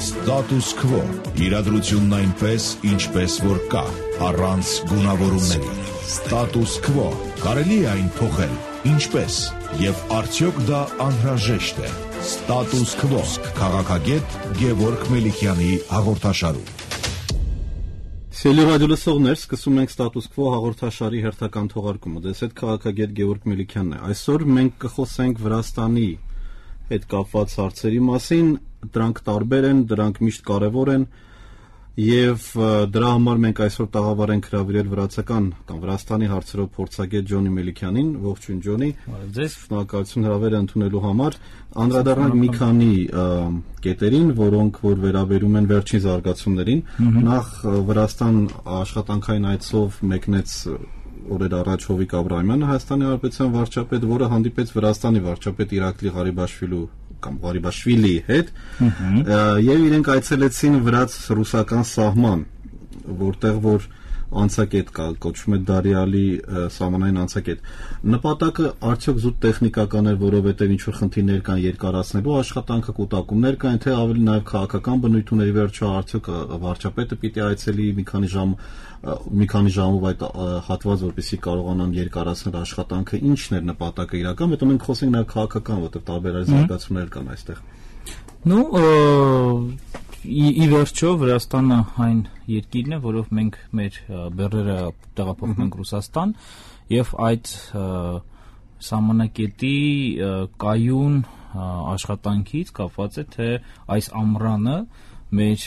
Status Quo. Իրադրությունն այնպես, ինչպես որ կա, առանց գունավորումների։ Status Quo. Կարելի է այն փոխել, ինչպես, եւ արդյոք դա անհրաժեշտ է։ Status Quo. Քաղաքագետ Գևորգ Մելիքյանի հաղորդաշարում։ Սիրելի ռադիոլսողներ, սկսում ենք Status Quo հաղորդաշարի հերթական թողարկումը։ Ձեզ հետ քաղաքագետ Գևորգ Մելիքյանն է։ Այսօր մենք կխոսենք Վրաստանի հետ կապված հարցերի մասին, դրանք տարբեր են, դրանք միշտ կարևոր են եւ դրա համար մենք այսօր տաղավար ենք հրավիրել վրացական կամ Վրաստանի հարցերով փորձագետ Ջոնի Մելիքյանին, ողջույն Ջոնի։ Ձեզ շնորհակալություն հրավերը ընդունելու համար։ Անդրադառնանք մի քանի կետերին, որոնք որ վերաբերում են վերջին զարգացումներին։ Նախ Վրաստան աշխատանքային այցով մեկնեց օրեր առաջ Հովիկ Աբրահամյանը, Հայաստանի Հանրապետության վարչապետ, որը հանդիպեց Վրաստանի վարչապետ Իրակլի Ղարիբաշվիլի հետ, եւ իրենք այցելեցին վրաց-ռուսական սահման, որտեղ որ անցակետ կա, կոչվում է Դարիալի սահմանային անցակետ։ Նպատակը արդյոք զուտ տեխնիկական է, որովհետև ինչ որ խնդիրներ կան երկարացնելու աշխատանքը, կուտակումներ կան, թե ավելի նաև քաղաքական բնույթ ուներ, վերջո արդյոք վարչապետը պիտի այցելի մի քանի ժամով այդ հատված, որպեսզի կարողանան երկարացնել աշխատանքը, ինչն էր նպատակը իրական, հետո մենք խոսենք նաև քաղաքական, որտեղ տարբեր զարգացումներ կան այստեղ։ Ի վերջո Վրաստանը այն երկիրն է, որով մենք մեր բեռները տեղափոխում ենք Ռուսաստան եւ այդ սահմանակետի կայուն աշխատանքից կապված է, թե այս ամռանը մեր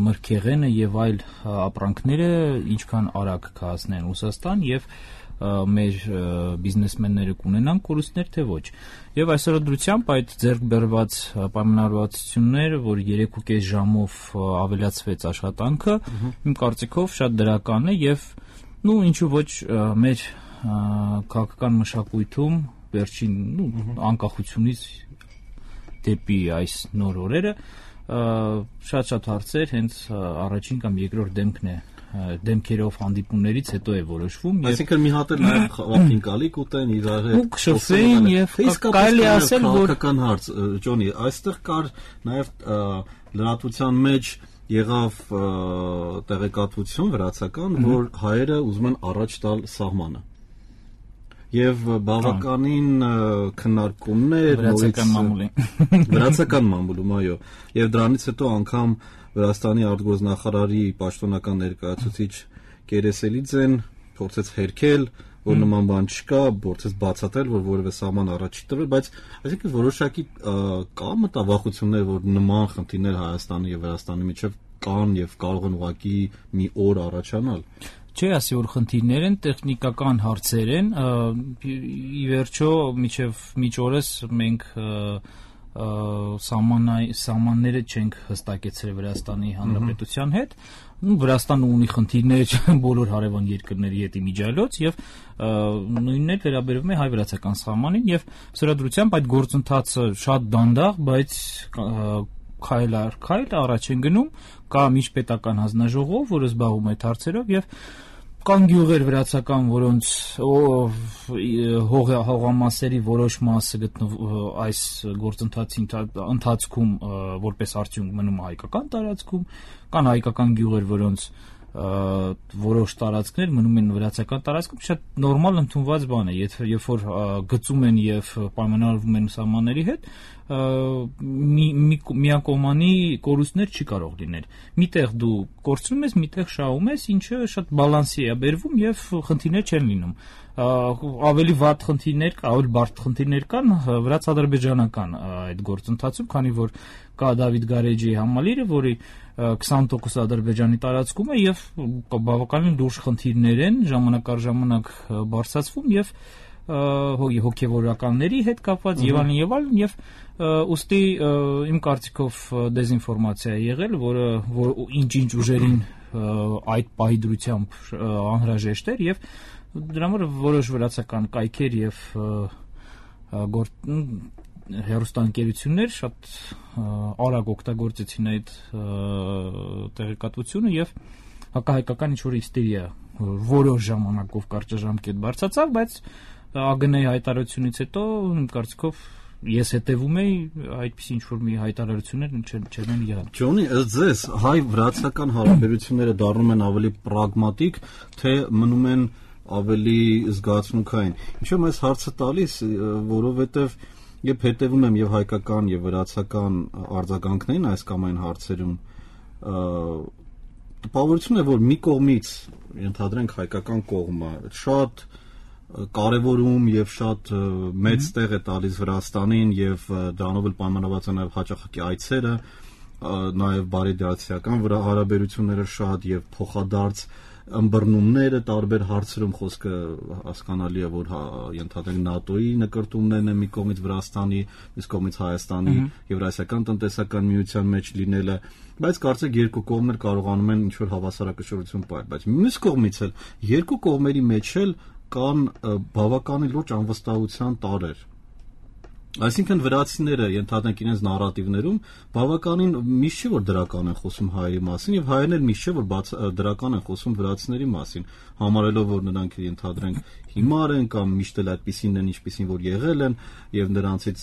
մրգեղենը եւ այլ ապրանքները ինչքան արագ կհասնեն Ռուսաստան եւ մեր բիզնեսմենները կունենան կորուստներ, թե ոչ։ Եվ այսօրադրությամբ այդ ձեռք բերված պայմանավորվածությունները, որ 3.5 ժամով ավելացվեց աշխատանքը, իմ կարծիքով շատ դրական է եւ ինչու ոչ մեր քաղաքական մշակույթում վերջին անկախությունից դեպի այս նոր օրերը շատ հարցեր հենց առաջին կամ երկրորդ դեմքերով հանդիպումներից հետո է որոշվում։ Այսինքն մի հատ էլ նաև խաղաղին կալիք ուտեն իրար հետ։ Ու քշվեն եւ կարելի ասել որ քաղաքական հարց Ջոնի, այստեղ կար նաև լրատվության մեջ եղավ տեղեկատվություն վրացական, որ հայերը ուզում են առաջ տալ սահմանը։ Եվ բավականին քննարկումներ վրացական մամուլում, այո, եւ դրանից հետո անգամ Վրաստանի արտգործնախարարի պաշտոնական ներկայացուցիչ Կերեսելիձեն փորձեց հերքել, որ նման բան չկա, փորձեց բացատրել, որ որևէ սահման առաջ չի տրվել, բայց այսինքն որոշակի կա մտավախություններ, որ նման խնդիրներ Հայաստանի եւ Վրաստանի միջեւ կան եւ կարող են ուղղակի մի օր առաջանալ։ Չէ, ասի որ խնդիրներ են, տեխնիկական հարցեր են, ի վերջո մինչ օրս մենք սահմանները չենք հստակեցրել Վրաստանի Հանրապետության հետ, Վրաստանը ունի խնդիրներ բոլոր հարևան երկրների հետ իմիջիայլոց եւ նույնն էլ վերաբերվում է հայ-վրացական սահմանին եւ սրադրությամբ այդ գործընթացը շատ դանդաղ, բայց քայլ առ քայլ առաջ են գնում, կա միջպետական հանձնաժողով, որը զբաղվում է այդ հարցերով եւ կան գյուղեր վրացական, որոնց հողամասերի որոշ մասը այս գործընթացի ընթացքում որպես արդյունք մնում հայկական տարածքում, կան հայկական գյուղեր, որոնց որոշ տարածքներ մնում են վրացական տարածքում, շատ նորմալ ընդունված բան է, երբ որ գծում են եւ պայմանավորվում են սահմանների հետ, միակողմանի կորուստներ չի կարող լինել։ Միտեղ դու կորցնում ես, միտեղ շահում ես, ինչը շատ բալանսի է բերվում եւ խնդիրներ չեն լինում։ Ավելի վատ խնդիրներ, ավելի բարդ խնդիրներ կան վրաց-ադրբեջանական այդ գործընթացում, քանի որ կա Դավիթ Գարեջիի համալիրը, որի 20% Ադրբեջանի տարածքում է եւ բավականին լուրջ խնդիրներ են ժամանակ առ ժամանակ բարձրացվում եւ հոգեվորականների հետ կապված եւ այլն եւ ուստի իմ կարծիքով դեզինֆորմացիա է եղել, որը ինչ ուժերին այդ պահի անհրաժեշտ էր եւ դրա համար որոշ վրացական կայքեր եւ հեռուստաընկերություններ շատ արագ օգտագործեցին այդ տեղեկատվությունը եւ հակահայկական ինչ-որ հիստերիա որոշ ժամանակով կարճաժամկետ բարձրացավ, բայց ԱԳՆ-ի հայտարարությունից հետո իմ կարծիքով ես հետևում էի այդպիսի ինչ-որ մի հայտարարություններ չեն եղել։ Ջոնի, ըստ ձեզ հայ-վրացական հարաբերությունները դառնում են ավելի պրագմատիկ, թե մնում են ավելի զգացմունքային։ Ինչու եմ այս հարցը տալիս, որովհետև երբ հետևում եմ եւ հայկական եւ վրացական արձագանքներին այս կամ այն հարցերում, տպավորություն է, որ մի կողմից ենթադրենք հայկական կողմը շատ կարևորում եւ շատ մեծ տեղ է տալիս Վրաստանին եւ դրանով էլ պայմանավորված է նաեւ հաճախակի այցերը, նաեւ բարեդրացիական հարաբերությունները շատ եւ փոխադարձ ըմբռնումները տարբեր հարցերում խոսքը հասկանալի է, որ ենթադրենք ՆԱՏՕ-ի նկրտումներն են մի կողմից Վրաստանի, մյուս կողմից Հայաստանի Եվրասիական տնտեսական միության մեջ լինելը, բայց կարծեք երկու կողմներ կարողանում են ինչ-որ հավասարակշռություն պահել, բայց մյուս կողմից էլ երկու կողմերի մեջ էլ կան բավականին լուրջ անվստահության տարրեր։ Այսինքն վրացիները ենթադրենք իրենց նարատիվներում բավականին միշտ չէ որ դրական են խոսում հայերի մասին եւ հայերն էլ միշտ չէ որ դրական են խոսում վրացիների մասին, համարելով որ նրանք ենթադրենք հիմար են կամ միշտ էլ այդպիսին են ինչպիսին որ եղել են եւ նրանցից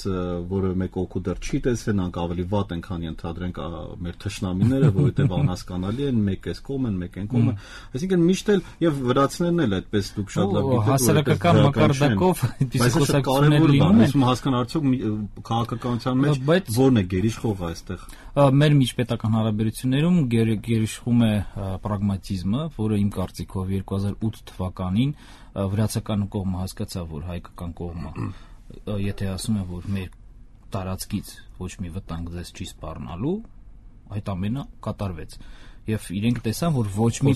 որևէ մեկ օգուտ դեռ չի տեսել, նրանք ավելի վատ են քան ենթադրենք մեր թշնամիները, որովհետեւ անհասկանալի են, մեկ էս կողմ են, մեկ են կողմը, այսինքն միշտ էլ եւ վրացիներն էլ այդպես դուք շատ լավ գիտեք հասարակական մակարդակով այդպիսի խոսակցություններ լինում են, հասկանալ քաղաքականության մեջ ո՞րն է գերիշխողը այստեղ։ Մեր միջպետական հարաբերություններում գերիշխում է պրագմատիզմը, որը իմ կարծիքով 2008 թվականին վրացական կողմը հասկացավ, որ հայկական կողմը եթե ասում է, որ մեր տարածքից ոչ մի վտանգ ձեզ չի սպառնալու, այդ ամենը կատարվեց։ Եվ իրենք տեսան, որ ոչ մի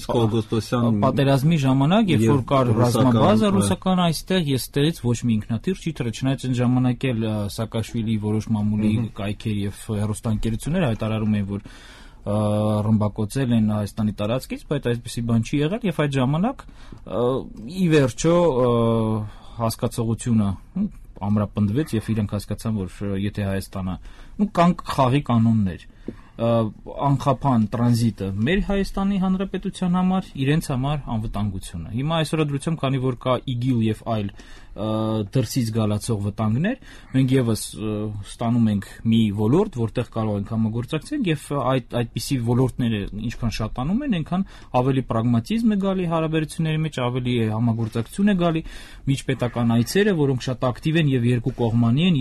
պատերազմի ժամանակ, երբ որ կար ռազմաբազա ռուսական այստեղ, ես ստերից ոչ մի ինքնաթիռ չի թռել, չնայած այն ժամանակ էլ Սաակաշվիլի որոշ մամուլի կայքեր եւ հեռուստաընկերություններ հայտարարում էին, որ ռմբակոծել են Հայաստանի տարածքից, բայց այսպեսի բան չի եղել եւ այդ ժամանակ ի վերջո հասկացողությունը ամրապնդվեց եւ իրենք հասկացան, որ եթե Հայաստանը կան խաղի կանոններ անխափան տրանզիտը մեր Հայաստանի Հանրապետության համար, իրենց համար անվտանգությունը։ Հիմա այսօրադրությամբ, քանի որ կա ԻԳԻԼ եւ այլ դրսից գալացող վտանգներ, մենք եւս ստանում ենք մի ոլորտ, որտեղ կարող ենք համագործակցել եւ այդպիսի ոլորտները ինչքան շատանում են, այնքան ավելի պրագմատիզմ է գալի հարաբերությունների մեջ, ավելի համագործակցություն է գալի, միջպետական այցերը, որոնք շատ ակտիվ են եւ երկու կողմանի են,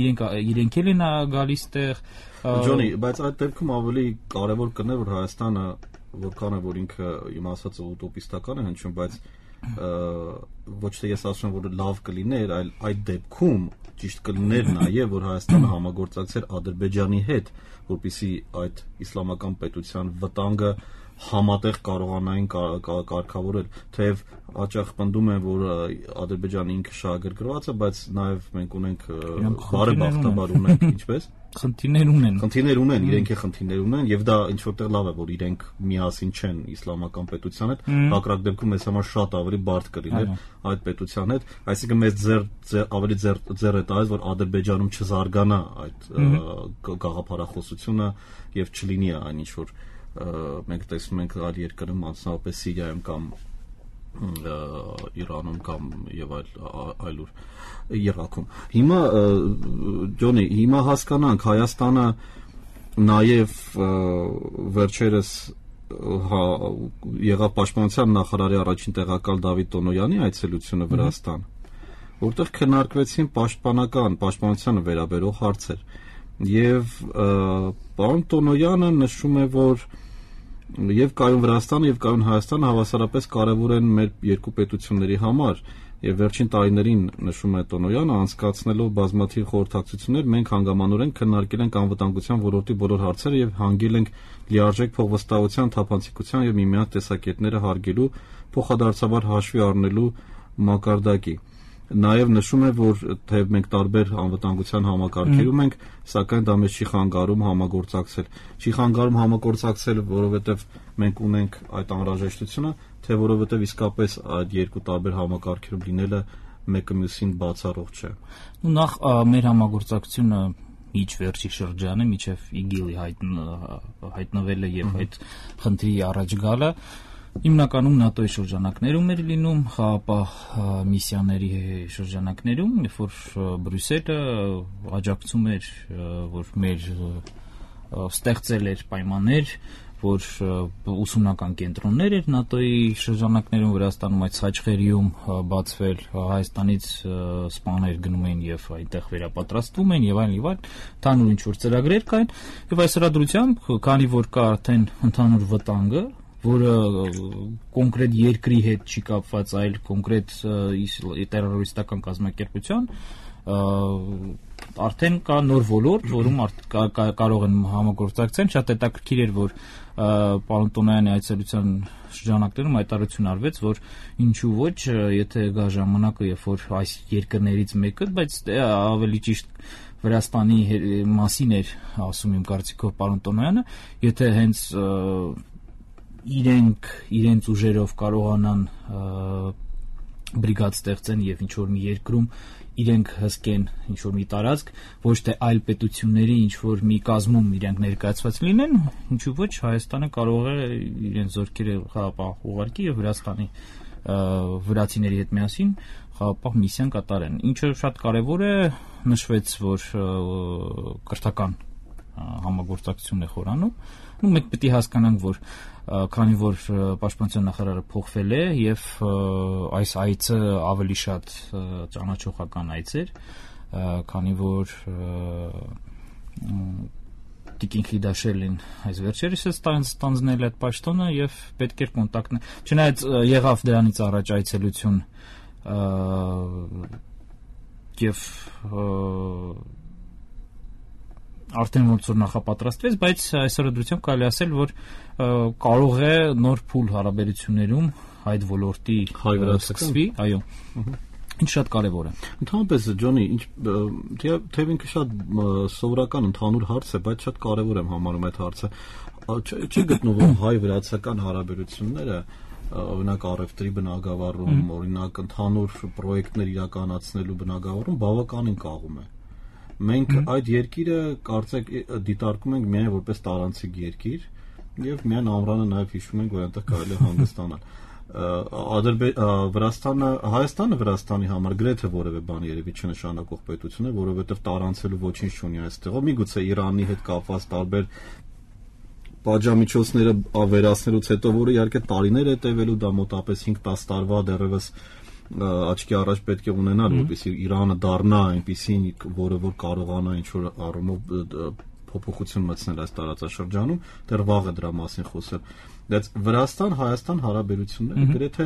իրենք էլ են գալիս տեղ Ջոնի, բայց այդ դեպքում ավելի կարևոր կներ, որ Հայաստանը որքան է որ ինքը իմ ասածը ուտոպիստական է հնչում, բայց ոչ թե ես ասում եմ, որ լավ կլիներ, այլ այդ դեպքում ճիշտ կլիներ նաև, որ Հայաստանը համագործակցեր Ադրբեջանի հետ, որպեսզի այդ իսլամական պետության վտանգը համատեղ կարողանային կարգավորել, թեև հաճախ պնդում են, որ Ադրբեջանը ինքը շահագրգռված է, բայց նաև մենք ունենք բարեբախտաբար ունենք, ինչպես Խնդիրներ ունեն, իրենք խնդիրներ ունեն եւ դա ինչ որտեղ լավ է, որ իրենք միասին չեն իսլամական պետության հետ, հակառակ դեպքում մեզ համար շատ ավելի բարդ կլիներ այդ պետության հետ, այսինքն մեզ ավելի ձեռ է տալիս, որ Ադրբեջանում չզարգանա այդ գաղափարախոսությունը եւ չլինի այն ինչ որ մենք տեսնում ենք այլ երկրում, մասնավորապես Սիրիայում կամ Իրանում կամ եւ այլուր Իրաքում։ Հիմա Ջոնի, հիմա հասկանանք Հայաստանը նաեւ վերջերս եղավ պաշտպանության նախարարի առաջին տեղակալ Դավիթ Տոնոյանի այցելությունը Վրաստան, որտեղ քննարկվեցին պաշտպանությանը վերաբերող հարցեր։ Եվ պարոն Տոնոյանը նշում է, որ եւ կայուն Վրաստանը եւ կայուն Հայաստանը հավասարապես կարեւոր են մեր երկու պետությունների համար եւ վերջին տարիներին նշում է Տոնոյանը անցկացնելով բազմաթիվ խորհրդակցություններ մենք հանգամանորեն քննարկել ենք անվտանգության ոլորտի բոլոր հարցերը եւ հանգել ենք լիարժեք փոխվստահության, թափանցիկության եւ միմյանց տեսակետները հարգելու, փոխադարձաբար հաշվի առնելու մակարդակի։ Նաև նշում է, որ թեև մենք տարբեր անվտանգության համակարգերում ենք, սակայն դա մեզ չի խանգարում համագործակցել։ Չի խանգարում համագործակցել, որովհետև մենք ունենք այդ անհրաժեշտությունը, թե որովհետև իսկապես այդ երկու տարբեր համակարգերում լինելը մեկը մյուսին բացառող չէ։ Նախ մեր համագործակցությունը իջ վերջի շրջանը, միջև ԻԳԻԼ-ի հայտնվելը եւ այդ խնդրի առաջ գալը Հիմնականում ՆԱՏՕ-ի շրջանակներում էր լինում, խաղաղապահ միսիաների շրջանակներում, երբ որ Բրյուսելը աջակցում էր, որ մեր ստեղծել էր պայմաններ, որ ուսումնական կենտրոններ էր ՆԱՏՕ-ի շրջանակներում Վրաստանում, այդ Սաչխերիում բացվել, Հայաստանից սպաներ գնում էին եւ այնտեղ վերապատրաստվում են եւ այլն, ընդհանուր ինչ-որ ծրագրեր կային, եւ այս հրադրությամբ, քանի որ կա արդեն ընդհանուր վտանգը, որը կոնկրետ երկրի հետ չի կապված, այլ կոնկրետ տերորիստական կազմակերպության, արդեն կա նոր ոլորտ, որում կարող են համագործակցել։ Շատ հետաքրքիր էր, որ պարոն Տոնոյանի այցելության շրջանակներում հայտարարություն արվեց, որ ինչու ոչ, եթե գա ժամանակը, երբ որ այս երկրներից մեկը, բայց ավելի ճիշտ Վրաստանի մասին էր ասում իմ կարծիքով պարոն Տոնոյանը, եթե հենց իրենց ուժերով կարողանան բրիգադ ստեղծեն եւ ինչ որ մի երկրում իրենք հսկեն ինչ որ մի տարածք, ոչ թե այլ պետությունների ինչ որ մի կազմում իրենք ներկայացված լինեն, ինչու ոչ Հայաստանը կարող է իրենց զորքերը խաղաղապահ ուղարկի եւ Վրաստանի վրացիների հետ միասին խաղաղապահ միսիան կատարեն։ Ինչը շատ կարեւոր է, նշվեց, որ կրթական համագործակցություն է խորանում։ Մենք պետք է հասկանանք, որ քանի որ պաշտպանության նախարարը փոխվել է եւ այս այցը ավելի շատ ճանաչողական այց էր, քանի որ Տիկին Խիդաշելին այս վերջերս ստանձնել այդ պաշտոնը եւ պետք էր կոնտակտն։ Չնայած եղավ դրանից առաջ այցելություն եւ արդեն ոնց որ նախապատրաստվեց, բայց այս հրադրությամբ կարելի ասել, որ կարող է նոր փուլ հարաբերություններում այդ ոլորտի սկսվի, այո։ Ինչ շատ կարևոր է։ Ընդհանրապես Ջոնի, թեև ինքը շատ սովորական ընդհանուր հարց է, բայց շատ կարևոր եմ համարում այդ հարցը։ Չի գտնվում հայ-վրացական հարաբերությունները օրինակ առևտրի բնագավառում, օրինակ ընդհանուր պրոյեկտներ իրականացնելու բնագավառում բավականին կաղում է։ Մենք այդ երկիրը կարծեք դիտարկում ենք միայն որպես տարանցիկ երկիր եւ միայն ամռանը նաեւ հիշում ենք, որ այնտեղ կարելի է հանգստանալ։ Հայաստանը Վրաստանի համար գրեթե որևէ բան երևի չնշանակող պետություն է, որովհետեւ տարանցելու ոչինչ չունի այստեղով։ Միգուցե Իրանի հետ կապված տարբեր պատժամիջոցները ավերացնելուց հետո, որը իհարկե տարիներ է տևելու, դա մոտապես 5-10 տարվա դեռևս աչքի առաջ պետք է ունենալ, որպեսզի Իրանը դառնա այնպիսին, որը որ կարողանա ինչ-որ առումով փոփոխություն մտցնել այս տարածաշրջանում, դեռ վաղ է դրա մասին խոսել։ Բայց Վրաստան-Հայաստան հարաբերությունները գրեթե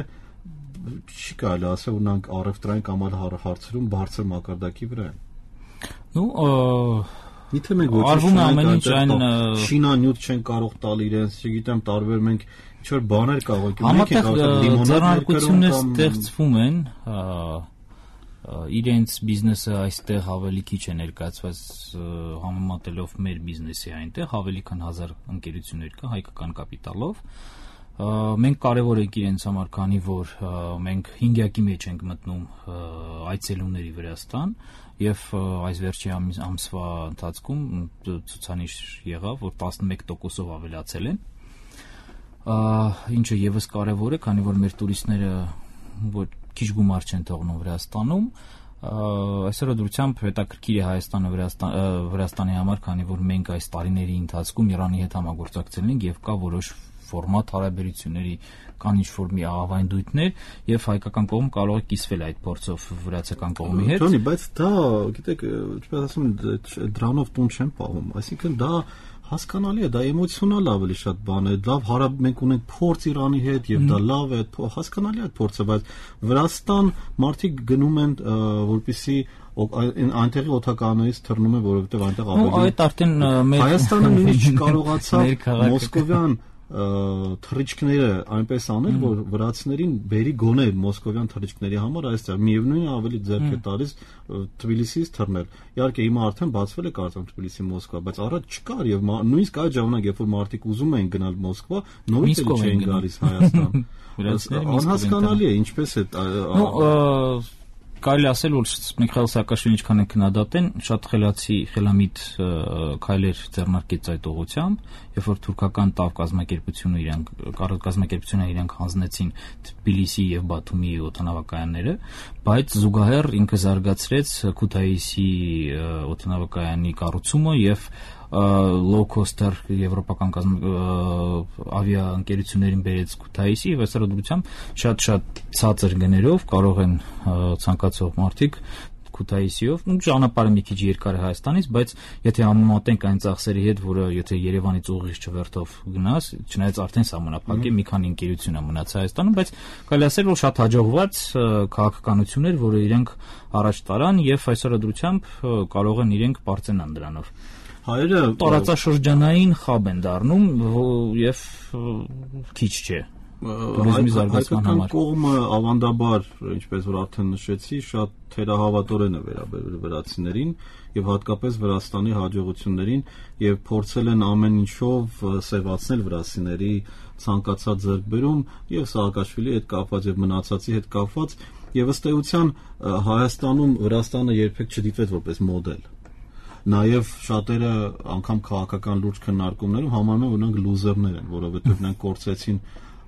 չի կարելի ասել, որ նրանք առևտրային կամ այլ հարցերում բարձր մակարդակի վրա են։ Եթե մենք ոչինչ շինանյութ չեն կարող տալ իրենց, չգիտեմ, տարբեր մենք ինչ-որ բաներ կարող ենք ձեռնարկություններ ստեղծվում են, իրենց բիզնեսը այստեղ ավելի քիչ է ներկայացված համեմատելով մեր բիզնեսի այնտեղ, ավելի քան 1000 ընկերություններ կա հայկական կապիտալով։ Մենք կարևոր ենք իրենց համար, քանի որ մենք 5-յակի մեջ ենք մտնում այցելուների Վրաստան եւ այս վերջի ամսվա ընթացքում ցուցանիշ եղավ, որ 11%-ով ավելացել են, ինչը եւս կարևոր է, քանի որ մեր տուրիստները որ քիչ գումար չեն թողնում Վրաստանում, այսօր դրությամբ հետաքրքիր է Հայաստանը Վրաստանի համար, քանի որ մենք այս տարիների ընթացքում Իրանի հետ համագործակցել ենք եւ կա որոշ ֆորմատ հարաբերությունների կան ինչ-որ մի ավանդույթներ եւ հայկական կողմը կարող է կիսվել այդ փորձով վրացական կողմի հետ։ Ջոնի, բայց դա, գիտեք, ինչպես ասում են, դրանով տուն չեն պահում, այսինքն դա հասկանալի է, դա էմոցիոնալ ավելի շատ բան է, լավ մենք ունենք փորձ Իրանի հետ եւ դա լավ է, հասկանալի է այդ փորձը, բայց Վրաստան մարդիկ գնում են որպեսզի այնտեղի օդակայանից թռնում են, որովհետեւ այնտեղ ավելի Հայաստանը նույնիսկ չկարողացավ մոսկովյան թռիչքները այնպես անել, որ վրացիներին բերի գոնե մոսկովյան թռիչքների համար այստեղ միևնույնն է ավելի ձեռք է տալիս Թբիլիսիից թռնել։ Իհարկե հիմա արդեն բացվել է կարծեմ Թբիլիսի-Մոսկվա, բայց առաջ չկար եւ նույնիսկ այդ ժամանակ, երբ որ մարդիկ ուզում էին գնալ Մոսկվա, նորից չէին գալիս Հայաստան։ Անհասկանալի է ինչպես է կարելի ասել, որ Միխայիլ Սաակաշվիլին ինչքան են քննադատեն, շատ խելամիտ քայլեր ձեռնարկեց այդ ուղղությամբ, երբ որ թուրքական ՏԱՎ կազմակերպությունը իրենք հանձնեցին Թբիլիսի եւ Բաթումի օդանավակայանները, բայց զուգահեռ ինքը զարգացրեց Քութայիսի օդանավակայանի կառուցումը եւ low-coster եվրոպական ավիաընկերություններին բերեց Քութայիսի եւ այսօր դրությամբ շատ ցածր գներով կարող են ցանկացող մարդիկ Քութայիսիով ճանապարհը մի քիչ երկար է Հայաստանից, բայց եթե համեմատենք այն ծախսերի հետ, որը եթե Երևանից ուղիղ չվերթով գնաս, չնայած արդեն սահմանափակ է, մի քանի ընկերություն է մնաց Հայաստանում, բայց կարելի ասել, որ շատ հաջողված քաղաքականություն էր, որը իրենք առաջ տարան եւ այսօր դրությամբ կարող են իրենք բարձրանալ դրանով։ Հայերը տարածաշրջանային խաբ են դառնում եւ քիչ չէ տուրիզմի զարգացման համար։ Կողմը ավանդաբար, ինչպես որ արդեն նշեցի, շատ թերահավատորեն է վերաբերվել վրացիներին եւ հատկապես Վրաստանի հաջողություններին եւ փորձել են ամեն ինչով սևացնել վրացիների ցանկացած ձեռքբերում եւ Սաակաշվիլի հետ կապված եւ մնացածի հետ կապված եւ ըստ էության Հայաստանում Վրաստանը երբեք չդիտվեց որպես մոդել։ Նաև շատերը անգամ քաղաքական լուրջ քննարկումներում համարում են, որ նրանք լուզերներ են, որովհետև նրանք կորցրեցին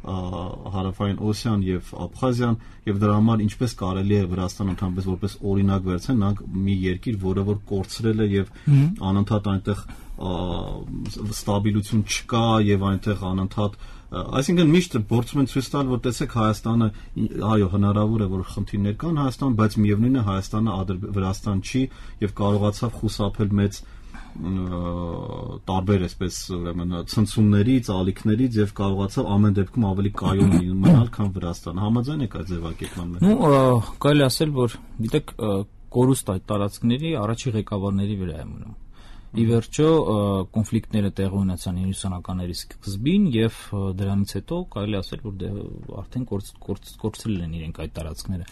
Հարավային Օսիան եւ Աբխազիան եւ դրա համար ինչպես կարելի է Վրաստանը ընդհանրապես որպես օրինակ վերցնել, նրանք մի երկիր, որը որ կորցրել է եւ անընդհատ այնտեղ ստաբիլություն չկա եւ այնտեղ անընդհատ այսինքն միշտ փորձում են ցույց տալ, որ տեսեք Հայաստանը, այո, հնարավոր է որ խնդիրներ կան Հայաստանում, բայց միևնույն է Հայաստանը Վրաստան չի եւ կարողացավ խուսափել մեծ տարբեր այսպես ուրեմն ցնցումներից, ալիքներից եւ կարողացավ ամեն դեպքում ավելի կայուն մնալ, քան Վրաստանը։ Համաձայն եք այդ ձևակերպման հետ։ Կարելի ասել, որ գիտեք, կորուստ այդ տարածքների առաջի ղեկավարների վրա է մնում։ Ի վերջո կոնֆլիկտները տեղի ունեցան 90-ականների սկզբին եւ դրանից հետո կարելի ասել, որ արդեն կորցրել են իրենք այդ տարածքները։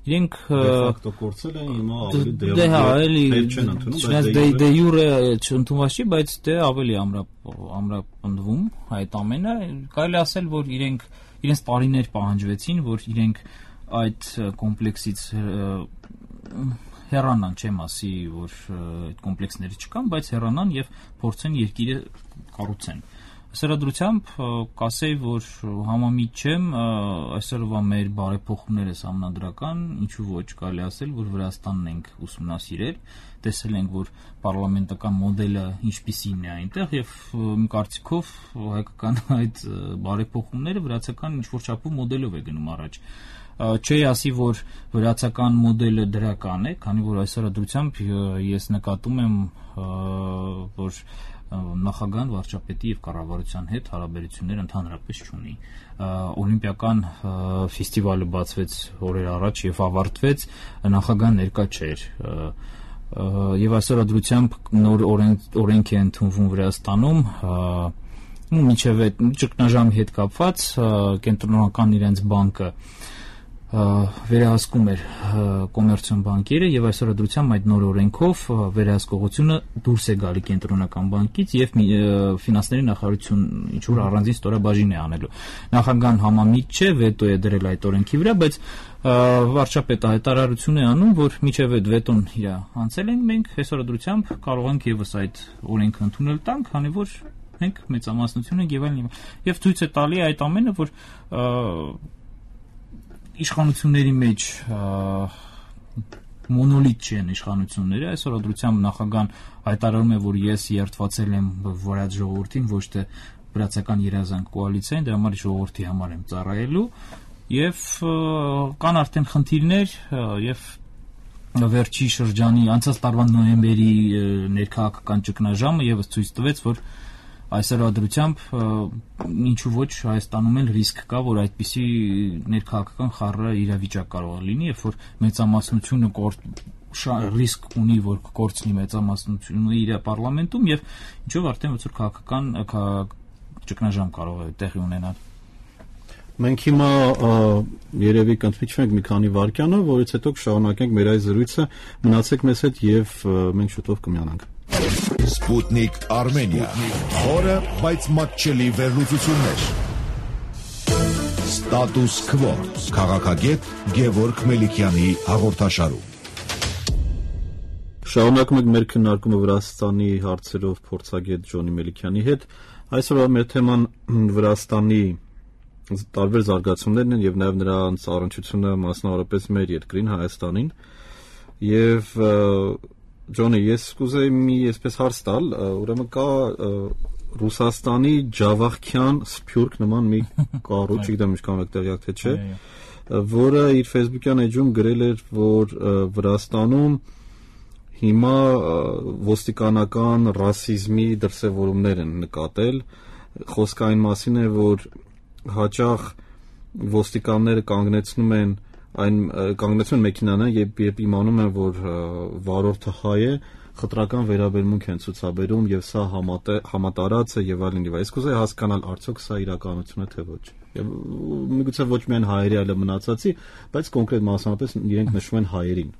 Իրենք ֆակտո կորցրել են, հիմա ավելի չեն ընդունում, դե յուրե չընդունված չի, բայց դե ավելի ամրապնդվում այդ ամենը։ Կարելի ասել, որ իրենց տարիներ պահանջվեցին, որ իրենք այդ կոմպլեքսից հեռանան, չեմ ասի, որ այդ կոմպլեքսները չկան, բայց հեռանան եւ փորձեն երկիրը կառուցեն։ Սրադրությամբ կասեի, որ համամիտ չեմ, այսօրվա մեր բարեփոխումները համանդրական, ինչու ոչ կարելի ասել, որ Վրաստանն ենք ուսումնասիրել, տեսել ենք, որ պարլամենտական մոդելը ինչպիսին է այնտեղ եւ իմ կարծիքով հայկական այդ բարեփոխումները վրացական ինչ-որ չափով մոդելով է գնում առաջ։ Չի ասի, որ վրացական մոդելը դրական է, քանի որ այսօր դրությամբ ես նկատում եմ, որ նախագահան վարչապետի եւ կառավարության հետ հարաբերություններ ընդհանրապես չունի։ Օլիմպիական ֆեստիվալը բացվեց օրեր առաջ եւ ավարտվեց, նախագահան ներկա չէր։ Եվ այսօր դրությամբ նոր օրենք է ընդունվում Վրաստանում, մինչև այդ ճգնաժամի հետ կապված կենտրոնական իրենց բանկը վերահսկում էր կոմերցիոն բանկերը եւ այսօր դրությամբ այդ նոր օրենքով վերահսկողությունը դուրս է գալի կենտրոնական բանկից եւ ֆինանսների նախարարություն ինչ որ առանձին ստորաբաժին է անելու։ Նախագահան համամիտ չէ, վետո է դրել այդ օրենքի վրա, բայց վարչապետը հայտարարություն է անում, որ միջև այդ վետոն իր անցել ենք մենք, այսօր դրությամբ կարող ենք եւս այդ օրենքը ընդունել տանք, քանի որ մենք մեծամասնություն ենք եւ այլն։ Եվ ցույց է տալի այդ ամենը, որ իշխանությունների մեջ մոնոլիտ չեն իշխանությունները, այսօր դրությամբ նախագահան հայտարարում է, որ ես երդվածել եմ վրաց ժողովրդին, ոչ թե վրացական երազանք կոալիցիային, դրա համար ժողովրդի համար եմ ծառայելու եւ կան արդեն խնդիրներ եւ վերջի շրջանի անցած տարվա նոյեմբերի ներքաղաքական ճգնաժամը եւս ցույց տվեց, որ այսօր դրությամբ ինչու ոչ Հայաստանում էլ ռիսկ կա, որ այդպիսի ներքաղաքական խառը իրավիճակ կարող է լինի, երբ որ մեծամասնությունը ռիսկ ունի, որ կկորցնի մեծամասնությունը իր պարլամենտում եւ ինչով արդեն ոչ որ քաղաքական ճգնաժամ կարող է տեղի ունենալ։ Մենք հիմա երևի կընդմիջվենք մի քանի վայրկյանով, որից հետո կշարունակենք մեր այս զրույցը։ Մնացեք մեզ հետ եւ մենք շուտով կմիանանք։ Sputnik Armenia. Խորը, բայց մատչելի վերլուծություններ։ Status Quo քաղաքագետ Գևորգ Մելիքյանի հաղորդաշարում։ Շարունակում ենք մեր քննարկումը Վրաստանի հարցերով փորձագետ Ջոնի Մելիքյանի հետ։ Այսօրվա մեր թեման Վրաստանի տարբեր զարգացումներն են եւ նաեւ նրանց առնչությունը մասնավորապես մեր երկրին Հայաստանին։ Եվ Ջոնի, ես կուզեի մի այսպես հարց տալ, ուրեմն կա Ռուսաստանի Ջավախյան Սփյուռք նման մի կառույց, չգիտեմ ինչքան եք տեղյակ թե չէ, որը իր Facebook-յան էջում գրել էր, որ Վրաստանում հիմա ոստիկանական ռասիզմի դրսևորումներ են նկատել, խոսքը այն մասին է, որ հաճախ ոստիկանները կանգնեցնում են մեքենան երբ իմանում են, որ վարորդը հայ է, խտրական վերաբերմունք են ցուցաբերում եւ սա համատարած է եւ այլն եւ այլն։ Ես կուզեի հասկանալ, արդյոք սա իրականություն է թե ոչ։ Եվ միգուցե ոչ միայն հայերի, այլ մնացածի, բայց կոնկրետ մասնավորապես իրենք նշում են հայերին։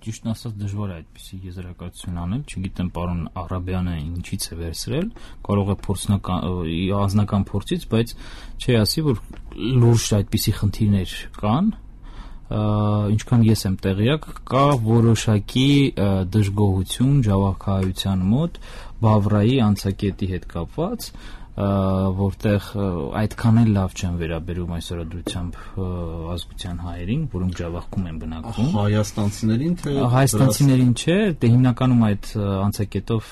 Ճիշտ ասած դժվար է այդպիսի եզրակացություն անել, չգիտեմ պարոն Արաբյանը ինչից է վերցրել, կարող է անձնական փորձից, բայց չի ասի, որ լուրջ այդպիսի խնդիրներ կան, ինչքան ես եմ տեղյակ, կա որոշակի դժգոհություն Ջավախայության մոտ Բավրայի անցակետի հետ կապված, որտեղ այդքան էլ լավ չեն վերաբերում այսօրադրությամբ ազգության հայերին, որոնք Ջավախքում են բնակվում։ Հայաստանցիներին թե հայաստանցիներին չէ, դե հիմնականում այդ անցակետով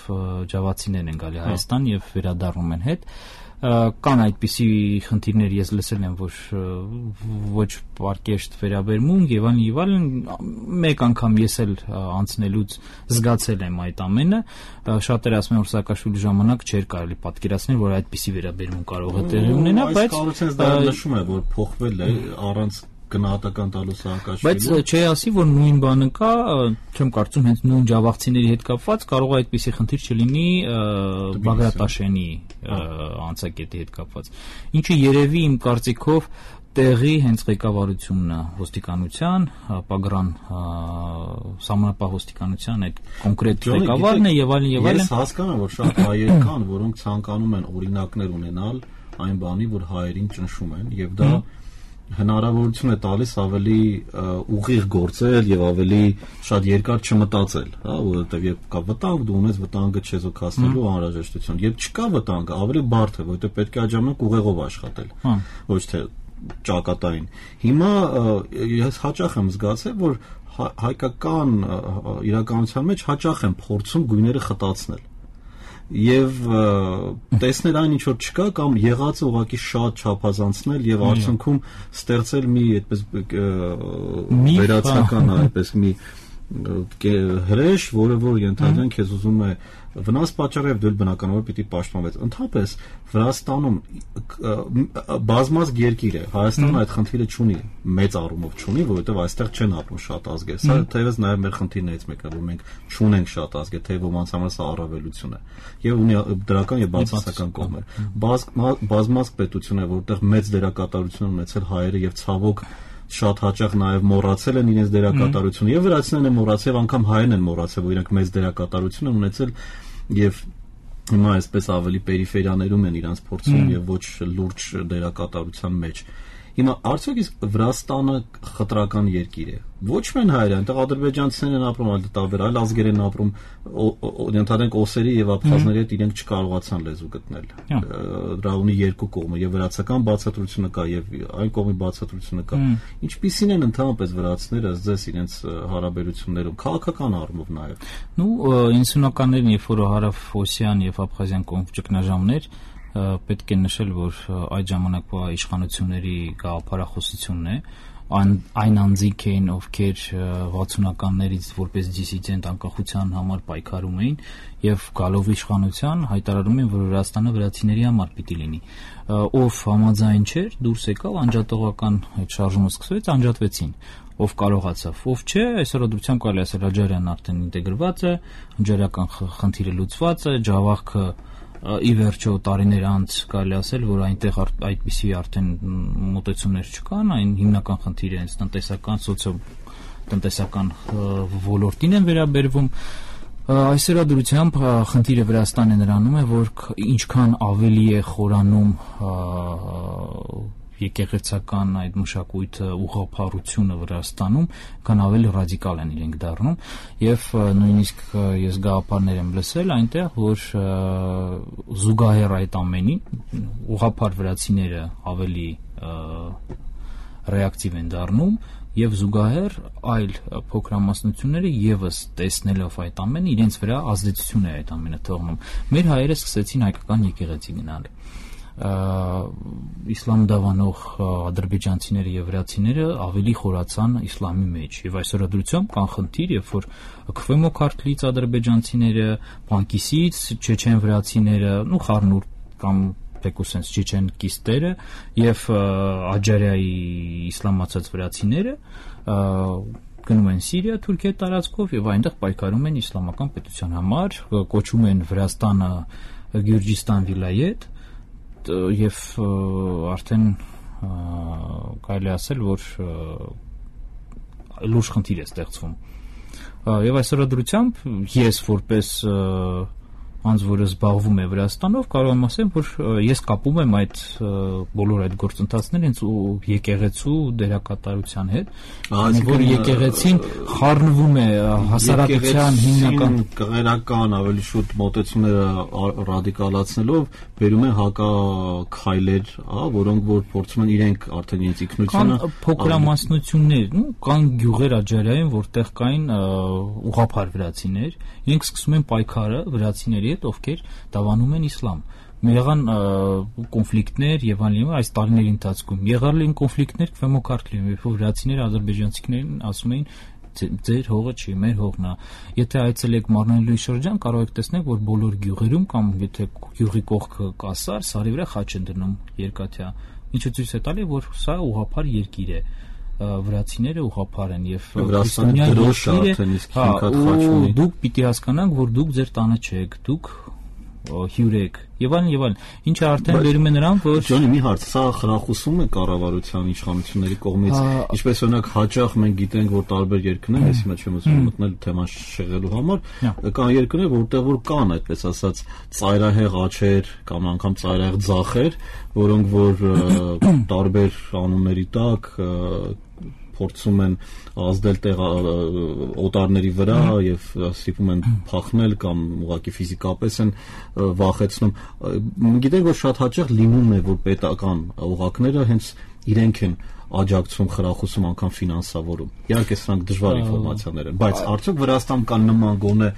ջավացիներն են գալի Հայաստան եւ վերադառնում են հետ։ Կան այդպիսի խնդիրներ, ես լսել եմ, որ ոչ պարկեշտ վերաբերմունք եւ այլն, մեկ անգամ ես էլ անցնելուց զգացել եմ այդ ամենը, շատերը ասում են, որ Սաակաշվիլի ժամանակ չէր կարելի պատկերացնել, որ այդպիսի վերաբերմունք կարող է տեղի ունենա, բայց կառուցած դա նշում է, որ փոխվել է առանց գնահատական տալու Սաակաշվիլին։ Բայց չի ասի, որ նույն բանը կա, չեմ կարծում հենց նույն ջավախցիների հետ կապված կարող է այդպիսի խնդիր չլինի Բագրատաշյանի անցակետի հետ կապված։ Ինչը երևի իմ կարծիքով տեղի հենց ղեկավարությունն է ոստիկանության, Պագրան սահմանապահ ոստիկանության այդ կոնկրետ ղեկավարն է եւ այլն եւ այլն։ Ես հասկանում եմ, որ շատ հայեր կան, որոնք ցանկանում են օրինակներ ունենալ այն բանի, որ հայերին ճնշում են եւ դա հնարավորություն է տալիս ավելի ուղիղ գործել եւ ավելի շատ երկար չմտածել, հա, որովհետեւ երբ կա վտանգ, դու ունես վտանգը չեզոքացնելու անհրաժեշտություն։ Երբ չկա վտանգը, ավելի բարդ է, որովհետեւ պետք է այդ ժամանակ ուղեղով աշխատել, ոչ թե ճակատային։ Հիմա ես հաճախ եմ զգացել, որ հայկական իրականության մեջ հաճախ են փորձում գույները խտացնել եւ տեսնել այն ինչ որ չկա կամ եղածը ուղղակի շատ չափազանցնել եւ արդյունքում ստեղծել մի այդպես վերացական այդպես մի հրեշ, որը ենթադրեն քեզ ուզում է վնաս պատճառել եւ դու բնականաբար պիտի պաշտպանվես։ Ընդհանրապես Վրաստանում բազմազգ երկիր է, Հայաստանը այդ խնդիրը չունի, մեծ առումով չունի, որովհետեւ այստեղ չեն ապրում շատ ազգեր։ Սա թեւս նաեւ մեր խնդիրներից մեկն է, որ մենք չունենք շատ ազգեր, թե ոմանց համար սա առավելություն է եւ ունի դրական եւ բացասական կողմեր։ Բազմազգ պետություն է, որտեղ մեծ դերակատարություն ունեցել հայերը եւ ցավոք շատ հաճախ նաև մոռացել են իրենց դերակատարությունը եւ վրացիներն են մոռացել, անգամ հայերն են մոռացել, որ իրենք մեծ դերակատարություն են ունեցել եւ հիմա այսպես ավելի պերիֆերիաներում են իրանց փորձում եւ ոչ լուրջ դերակատարության մեջ։ Հիմա արդյոք իսկ Վրաստանը խտրական երկիր է։ Ոչ միայն հայերը, այնտեղ ադրբեջանցիներն են ապրում, այլ տարբեր այլ ազգեր են ապրում, ընդհանրենք օսերի եւ աբխազների հետ իրենք չկարողացան լեզու գտնել։ Դրա ունի երկու կողմը, եւ վրացական բացատրությունը կա եւ այն կողմի բացատրությունը կա։ Ինչպիսին են ընդհանրապես վրացիները ըստ իրենց հարաբերություններում, քաղաքական առումով նաեւ։ 90-ականներին, երբ որ հարավ-օսիան եւ աբխազիան կողմ ճգնաժամներ պետք է նշել, որ այդ ժամանակվա իշխանությունների գաղափարախոսությունն է, այն անձինք էին, ովքեր 60-ականներից որպես դիսիդենտ անկախության համար պայքարում էին եւ գալով իշխանության հայտարարում են, որ Վրաստանը վրացիների համար պիտի լինի։ Ով համաձայն չէր, դուրս եկավ, անջատողական այդ շարժումը սկսվեց, անջատվեցին։ Ով կարողացավ, ով չէ, այսօրադրությամբ կարելի ասել Աջարյանն արդեն ինտեգրված է, աջարական խնդիրը լուծված է, Ջավախքը ի վերջո տարիներ անց կարելի ասել, որ այնտեղ այդպիսի արդեն մոտեցումներ չկան, այն հիմնական խնդիրը հենց տնտեսական, սոցիո-տնտեսական ոլորտին են վերաբերվում։ Այսօրադրությամբ խնդիրը Վրաստանը նրանում է, որ ինչքան ավելի է խորանում եկեղեցական այդ մշակույթը ուղղափառությունը Վրաստանում կան ավելի ռադիկալ են իրենք դառնում եւ նույնիսկ ես գաղափարներ եմ լսել այնտեղ որ զուգահեռ այդ ամենին ուղղափառ վրացիները ավելի ռեակտիվ են դառնում եւ զուգահեռ այլ փոքրամասնությունները եւս տեսնելով այդ ամենը իրենց վրա ազդեցություն է այդ ամենը թողնում մեր հայերը սկսեցին հայկական եկեղեցի գնալ իսլամ դավանող ադրբեջանցիները եւ վրացիները ավելի խորացան իսլամի մեջ եւ այսօրադրությամբ կան խնդիր երբ որ Քվեմո քարտլից ադրբեջանցիները Պանկիսից չեչեն վրացիները ու Խառնուրդ կամ Պեկուսենց չեչենկիստերը եւ Աջարիայի իսլամացած վրացիները գնում են Սիրիա, Թուրքիա տարածքով եւ այնտեղ պայքարում են իսլամական պետության համար, կոչում են Վրաստանը Գյուրջիստան վիլայետ եւ արդեն կարելի ասել որ լուրջ խնդիր է ստեղծվում եւ այսօրադրությամբ ես որպես անձ որը զբաղվում է Վրաստանով կարող եմ ասել որ ես կապում եմ այդ բոլոր այդ գործընթացները հենց եկեղեցու դերակատարության հետ որ եկեղեցին խառնվում է հասարակության հիմնական կղերական ավելի շուտ մոտեցումները ռադիկալացնելով բերում են հակաքայլեր որոնք որ փորձում են իրենք արդեն իրենց ինքնությունը կան փոքրամասնություններ կան գյուղեր Աջարիայում որտեղ կային ուղղափառ վրացիներ իրենք սկսում են պայքարը վրացիների հետ ովքեր դավանում են իսլամ եղան կոնֆլիկտներ եւ այլն այս տարիների ընթացքում եղել են կոնֆլիկտներ Քվեմո քարտլիում երբ որ վրացիները ադրբեջանցիներին ասում էին ձեր հողը չի մեր հողն է եթե այցելեք Մարնելուի շրջան կարող եք տեսնել որ բոլոր գյուղերում կամ եթե գյուղի կողքը կասար սարի վրա խաչ են դնում երկաթյա ինչը ցույց է տալի որ սա ուղղափառ երկիր է վրացիները ուղղափառ են եւ Վրաստանը դրոշ է արդեն իսկ հիմքատ խաչ ունի դուք պիտի հասկանաք որ դուք ձեր տանը չեք դուք հյուր եք եւ այլն ինչը արդեն վերում է նրան որ Ջոնի մի հարց սա խրախուսում է կառավարության իշխանությունների կողմից ինչպես օրինակ հաճախ մենք գիտենք որ տարբեր երկրներ ես հիմա չեմ ուզում մտնել թեման շեղելու համար կան երկրներ որտեղ որ կան այդպես ասած ծայրահեղ աչեր կամ անգամ ծայրահեղ ձախեր որոնք որ տարբեր անունների տակ փորձում են ազդել օտարների վրա եւ ստիպում են փախնել կամ ուղղակի ֆիզիկապես են վախեցնում գիտենք որ շատ հաճախ լինում է որ պետական օղակները հենց իրենք են աջակցում խրախուսում անգամ ֆինանսավորում իհարկե սրանք դժվար ինֆորմացիաներ են բայց արդյոք Վրաստանում կան նման գոնե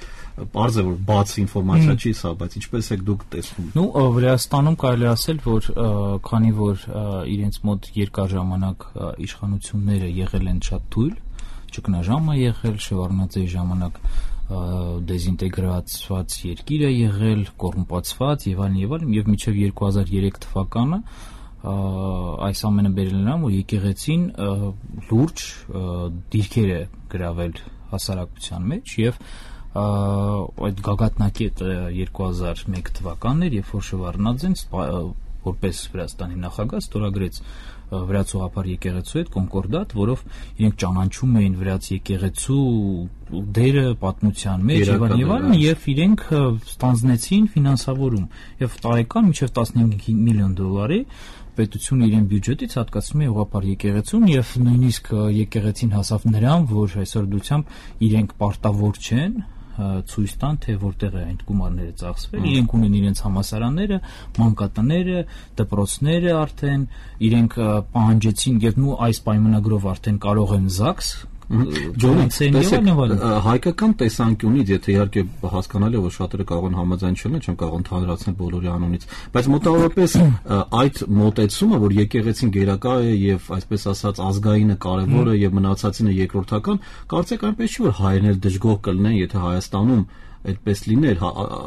Պարզ է որ բաց ինֆորմացիա չի սա, բայց ինչպես եք դուք տեսնում։ Ну, Վրաստանում կարելի ասել, որ քանի որ իրենց մոտ երկար ժամանակ իշխանությունները եղել են շատ թույլ, ճգնաժամ է եղել, Շևարդնաձեի ժամանակ դեզինտեգրացված երկիր է եղել, կոռումպացված եւ այլն, եւ մինչեւ 2003 թվականը այս ամենը բերել նրան, որ եկեղեցին լուրջ դիրքեր է գրավել հասարակության մեջ եւ այդ գագաթնակետը 2001 թվականն էր, երբ որ Շևարդնաձեն որպես Վրաստանի նախագահ ստորագրեց վրացուղափառ եկեղեցու հետ կոնկորդատ, որով իրենք ճանաչում էին վրաց եկեղեցու դերը պատմության մեջ եւ այլն, եւ իրենք ստանձնեցին ֆինանսավորում եւ տարեկան մինչեւ 15 միլիոն դոլարի պետությունը իրեն բյուջետից հատկացնում է ուղղափառ եկեղեցուն եւ նույնիսկ եկեղեցին հասավ նրան, որ այսօր դությամբ իրենք պարտավոր չեն ցույց տան, թե որտեղ է այդ գումարները ծախսվել, իրենք ունեն իրենց համասարանները, մանկատները, դպրոցները արդեն, իրենք պահանջեցին եւ նու այս պայմանագրով արդեն կարող են ԶԱԳՍ հայկական տեսանկյունից, եթե իհարկե հասկանալի է, որ շատերը կարող են համաձայն չեն կարող ընդհանրացնել բոլորի անունից, բայց մոտավորապես այդ մոտեցումը, որ եկեղեցին գերակա է եւ այսպես ասած ազգայինը կարեւոր է եւ մնացածինը երկրորդական, կարծեք այնպես չի որ հայերն էլ դժգոհ կլինեն, եթե Հայաստանում այդպես լիներ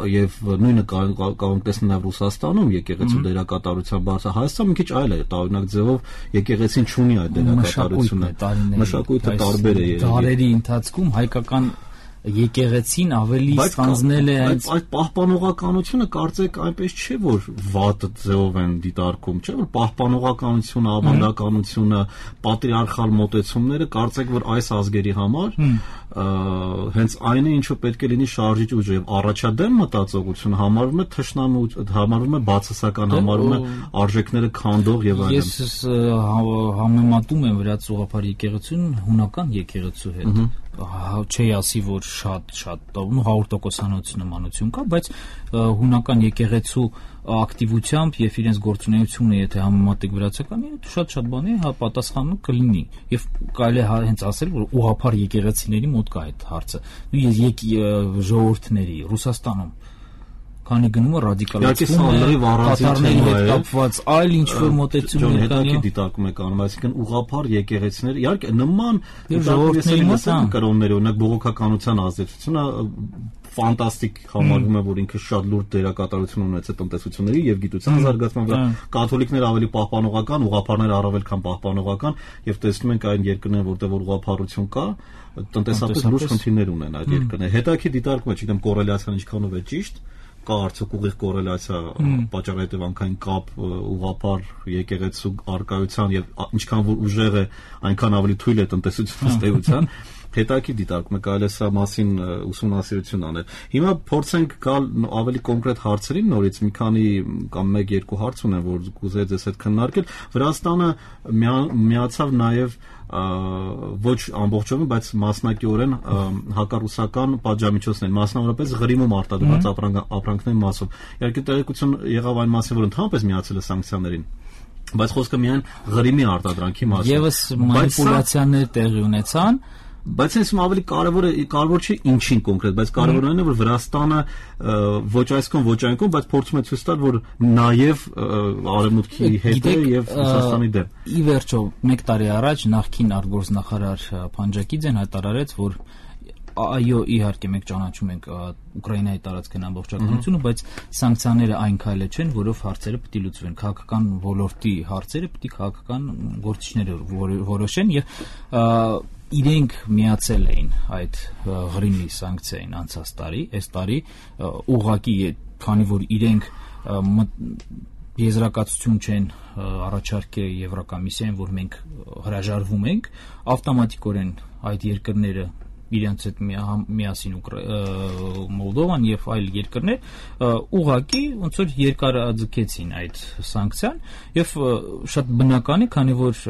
եւ նույնը կարող տեսնել նաեւ Ռուսաստանում եկեղեցու դերակատարության բարձր Հայաստանը մի քիչ այլ է տարօրինակ ձևով եկեղեցին չունի այդ դերակատարությունը մշակույթը տարբեր է դարերի ընթացքում հայկական եկեղեցին ավելի ստանձնել է այդ պահպանողականությունը կարծեք այնպես չէ որ վատ ձևով են դիտարկում չէ որ պահպանողականությունը ավանդականությունը պատրիարխալ մոտեցումները կարծեք որ այս ազգերի համար հենց այն է, ինչը պետք է լինի շարժիչ ուժ, եւ առաջադեմ մտածողությունը համարվում է թշնամու, համարվում է բացասական, համարվում է արժեքները քանդող եւ այլն։ Ես համեմատում եմ վրաց ուղղափառ եկեղեցուն հունական եկեղեցու հետ։ Չի ասի, որ շատ 100% նմանություն կա, բայց հունական եկեղեցու ակտիվությամբ եւ իրենց գործունեությունը, եթե համեմատեք վրացականի, շատ բանի պատասխանը կլինի եւ կարելի է հենց ասել, որ ուղղափառ եկեղեցիների մոտ կա այդ հարցը։ Ժողովուրդների Ռուսաստանում քանի գնում է ռադիկալացվում է, կատարների հետ կապված այլ ինչ-որ մոտեցումներ կան։ Հետաքրքիր դիտարկում եք անում, այսինքն ուղղափառ եկեղեցիներ, իհարկե նման ժողովուրդների մոտ կրոններ, օրինակ բողոքականության ազդեցությունը ֆանտաստիկ համարվում է, որ ինքը շատ լուրջ դերակատարություն ունեցել տնտեսությունների եւ գիտության զարգացման վրա։ Կաթոլիկները ավելի պահպանողական, ուղղափառները առավել քան պահպանողական, եւ տեսնում ենք այն երկրներում, որտեղ որ ուղղափառություն կա, տնտեսապես լուրջ խնդիրներ ունեն այդ երկրները։ Հետաքրքիր դիտարկում է, չգիտեմ կոռելյացիան ինչքանով է ճիշտ, կա արդյոք ուղիղ կոռելյացիա պատճառահետևանքային կապ ուղղափառ եկեղեցու արկայության եւ ինչքան որ ուժեղ է, այնքան ավելի թույլ է տնտեսության ստեյության։ Հետաքրքիր դիտարկում է, կարելի է սա մասին ուսումնասիրություն անել։ Հիմա փորձենք գալ ավելի կոնկրետ հարցերին նորից, մի քանի կամ 1-2 հարց ունեմ, որ կուզեի ձեզ հետ քննարկել։ Վրաստանը միացավ նաեւ ոչ ամբողջովին, բայց մասնակիորեն հակառուսական պատժամիջոցներ, մասնավորապես Ղրիմում արտադրված ապրանքների մասով։ Իհարկե տեղեկություն եղավ այն մասին, որ ընդհանրապես միացել է սանկցիաներին, բայց խոսքը միայն Ղրիմի արտադրանքի մասին։ Եվս մանիպուլյացիաներ տեղի ունեցան, բայց այսում ավելի կարևոր չի ինչին կոնկրետ, բայց կարևորն այն է, որ Վրաստանը ոչ այս կողմ, ոչ այն կողմ, բայց փորձում է ցույց տալ, որ նաև արևմուտքի հետ է եւ Ռուսաստանի դեմ։ Ի վերջո, 1 տարի առաջ նախկին արտգործնախարար Փանջակիձեն հայտարարեց, որ այո, իհարկե մենք ճանաչում ենք Ուկրաինայի տարածքային ամբողջականությունը, բայց սանկցիաները այն քայլը չեն, որով հարցերը պետք է լուծվեն։ Քաղաքական ոլորտի հարցերը պետք է քաղաքական գործիչները որոշեն եւ իրենք միացել էին այդ Ղրիմի սանկցիային անցած տարի, այս տարի ուղղակի, քանի որ իրենք եզրակացություն չեն առաջարկել Եվրոկոմիսիային, որ մենք հրաժարվում ենք, ավտոմատիկորեն այդ երկրները իրենց հետ միասին Մոլդովան եւ այլ երկրներ ուղղակի ոնց որ երկարաձգեցին այդ սանկցիան եւ շատ բնական է, քանի որ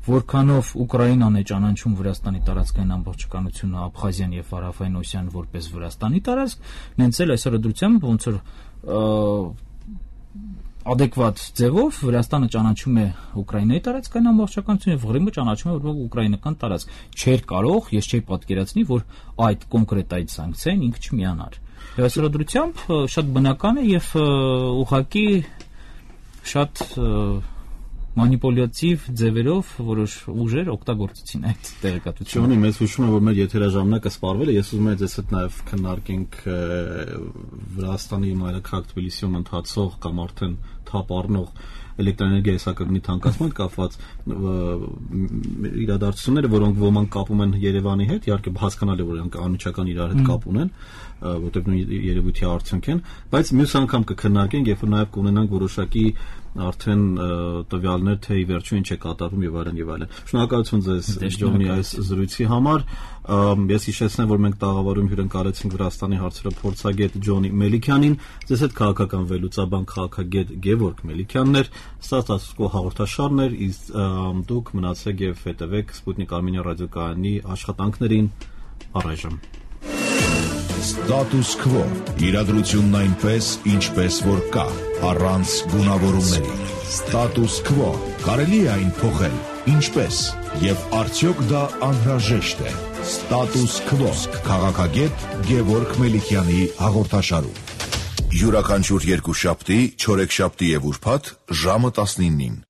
որքանով Ուկրաինան է ճանաչում Վրաստանի տարածքային ամբողջականությունը, Աբխազիան եւ Հարավային Օսիան որպես Վրաստանի տարածք, նենց էլ այսօր դրությամբ ոնց որ adekvat ձևով Վրաստանը ճանաչում է Ուկրաինայի տարածքային ամբողջականությունը եւ Ղրիմը ճանաչում է որպես ուկրաինական տարածք։ Չէր կարող, ես չէի պատկերացնի, որ այդ կոնկրետ այդ սանկցիային ինքը չմիանար։ Եվ այսօր դրությամբ շատ բնական է եւ ուղղակի շատ մանիպուլյատիվ ձևերով որոշ ուժեր օգտագործեցին այդ տեղեկատվությունը։ Ջոնի, մեզ հուշում է, որ մեր եթերաժամանակը սպառվել է, ես ուզում եմ ձեզ հետ նաև քննարկենք Վրաստանի մայրաքաղաք Թբիլիսիում ընթացող կամ արդեն թափ առնող էլեկտրոէներգիայի սակագնի թանկացման կապված իրադարձությունները, որոնք ոմանք կապում են Երևանի հետ, իհարկե հասկանալի է, որ նրանք անմիջական իրար հետ կապ ունեն, որտեղ նույն երևույթի արդյունք են, բայց մյուս անգամ կքննարկենք, երբ որ նաև կունենանք որոշակի արդեն տվյալներ, թե ի վերջո ինչ է կատարվում եւ այլն եւ այլն։ Շնորհակալություն ձեզ Ջոնի այս զրույցի համար։ Ես հիշեցնեմ, որ մենք տաղավարում հյուրընկալեցինք Վրաստանի հարցերով փորձագետ Ջոնի Մելիքյանին, ձեզ հետ քաղաքական վերլուծաբան քաղաքագետ Գևորգ Մելիքյանն էր։ Սա ստատուս-կվո հաղորդաշարն էր, իսկ դուք մնացեք եւ հետեւեք Սպուտնիկ Արմենիա ռադիոկայանի աշխատանքներին առայժմ։ Ստատուս քվո, իրադրությունն այնպես, ինչպես որ կա, առանց գունավորումների։ Ստատուս քվո, կարելի է այն փոխել, ինչպես, եւ արդյոք դա անհրաժեշտ է։ Ստատուս քվո, քաղաքագետ Գևորգ Մելիքյանի հաղորդաշարում։ Յուրաքանչյուր երկուշաբթի, չորեքշաբթի եւ ուրբաթ ժամը 19-ին։